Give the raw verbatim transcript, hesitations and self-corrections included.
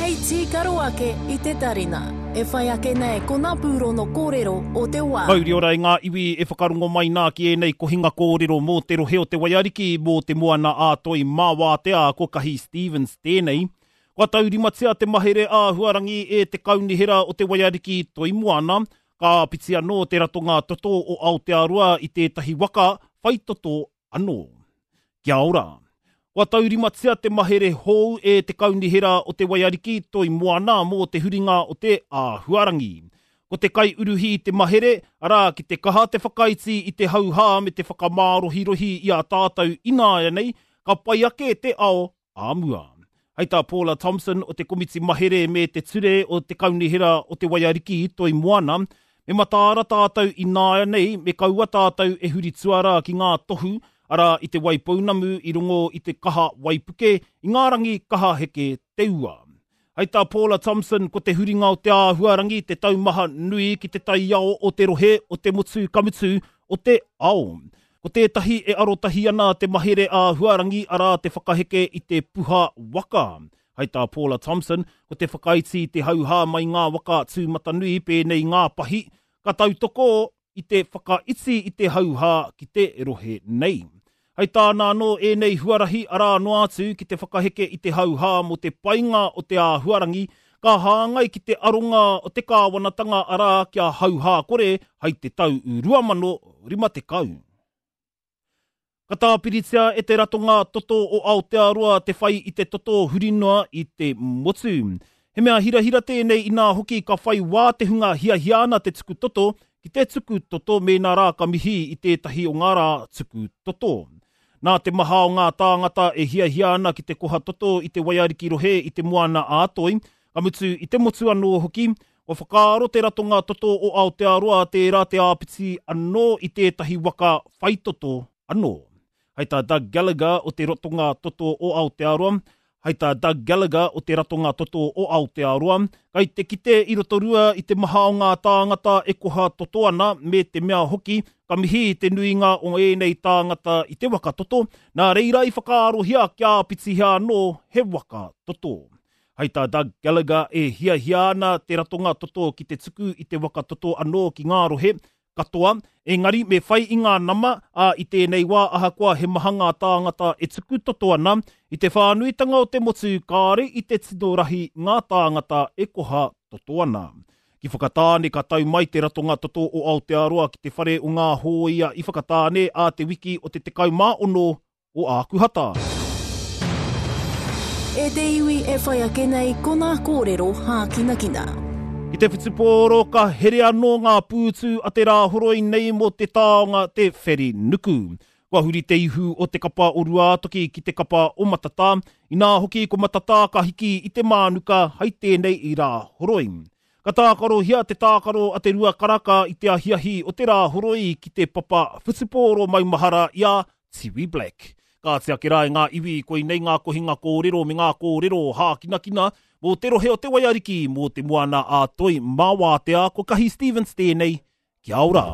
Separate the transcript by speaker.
Speaker 1: Hei tīkaro ake i te tarina. E whai ake nei ko ngā pūrono kōrero o te wā.
Speaker 2: Mauri ora i ngā iwi e whakarongo mai nā ki ēnei kohinga kōrero mō te rohe o te Waiariki, mō te moana ā Toi mā Wātea, ko Kahi Stevens tēnei. Kua taurimatia te mahere āhuarangi e te kaunihera o te Waiariki Toi Moana, ka āpiti anō te ratonga toto o Aotearoa i tētahi waka whai toto anō. Kia ora! Kua taurimatia te mahere hou e te kaunihera o te Waiariki Toi Moana mō te huringa o te āhuarangi. Ko te kai uruhi i te mahere, arā ki te kaha te whakaiti i te hauhā me te whakamārohirohi i a tātou ināianei, ka pai ake te ao ā mua. Hei tā Paula Thompson o te Komiti Mahere me te Ture o te Kaunihera o te Waiariki Toi Moana, me mataara tātou ināianei me kaua tātou e huri tuara ki ngā tohu, arā i te Waipounamu i rongo i te kaha waipuke, i ngā rangi kaha heke te ua. Hei tā Paula Thompson, ko te huringa o te āhuarangi te taumaha nui ki te taiao o te rohe o te motu ka mutu o te ao. Ko tētahi e arotahi ana te mahere āhuarangi arā te whakaheke i te puha waka. Hei tā Paula Thompson, ko te whakaiti i te hauhā mai ngā waka tūmatanui pēnei ngā pahi, ka tautoko i te whakaiti i te hauhā ki te rohe nei. Hei tāna anō ēnei huarahi arā noa atu ki te whakaheke i te hauhā mō te painga o te āhuarangi, ka hāngai ki te aronga o te kāwanatanga arā kia hauhā kore hei te tau rua mano rima tekau. Ka tāpiritia e te ratonga toto o Aotearoa te whai i te toto huri noa i te motu. He mea hirahira tēnei inā hoki ka whai wā te hunga hiahia ana te tuku toto ki te tuku toto mēnā rā ka mihi i tētahi o ngā rā tuku toto. Nā te maha o ngā tāngata e hiahia ana ki te koha toto i te Waiariki rohe i te moana ā Toi, ka mutu i te motu anō hoki, kua whakaaro te ratonga toto o Aotearoa tērā te āpiti anō i tētahi waka whai toto anō. Hei tā Doug Gallagher o te ratonga toto o Aotearoa, hei tā Doug Gallagher o te ratonga toto o Aotearoa, kai te kite i Rotorua i te maha o ngā tāngata e koha toto ana me te mea hoki, ka mihi te nuinga o ēnei tāngata i te waka toto, nā reira i whakaarohia kia āpitihia anō he waka toto. Hei tā Doug Gallagher e hiahia ana te ratonga toto ki te tuku i te waka toto anō ki ngā rohe katoa, engari me whai i ngā nama, ā i tēnei wā ahakoa he maha ngā tāngata e tuku toto ana, i te whānuitanga o te motu kāre i te tino rahi ngā tāngata e koha toto ana. Ki Whakatāne ka tau mai te ratonga toto o Aotearoa ki te whare o ngā hōia i Whakatāne ā te wiki o te tekau mā ono o Ākuhata.
Speaker 1: E te iwi e whai ake nei ko ngā kōrero hākinakina.
Speaker 2: Ki te whutupōro ka here anō ngā pūtu a te rāhoroi nei mō te taonga te wheri nuku. Kua huri te ihu o te kapa o Ruātoki ki te kapa o Matatā, inā hoki ko Matatā ka hiki i te mānuka hei tēnei i rāhoroi. Ka tākarohia te tākaro a te rua karaka i te ahiahi o te rāhoroi ki te papa whutupōro maumahara i a Tiwi Black. Ka oti ake rā e ngā iwi koinei ngā kohinga kōrero me ngā kōrero hākinakina mō te rohe o te Waiariki, mō te moana ā Toi mā Wātea, ko Kahi Stevens tēnei. Kia ora!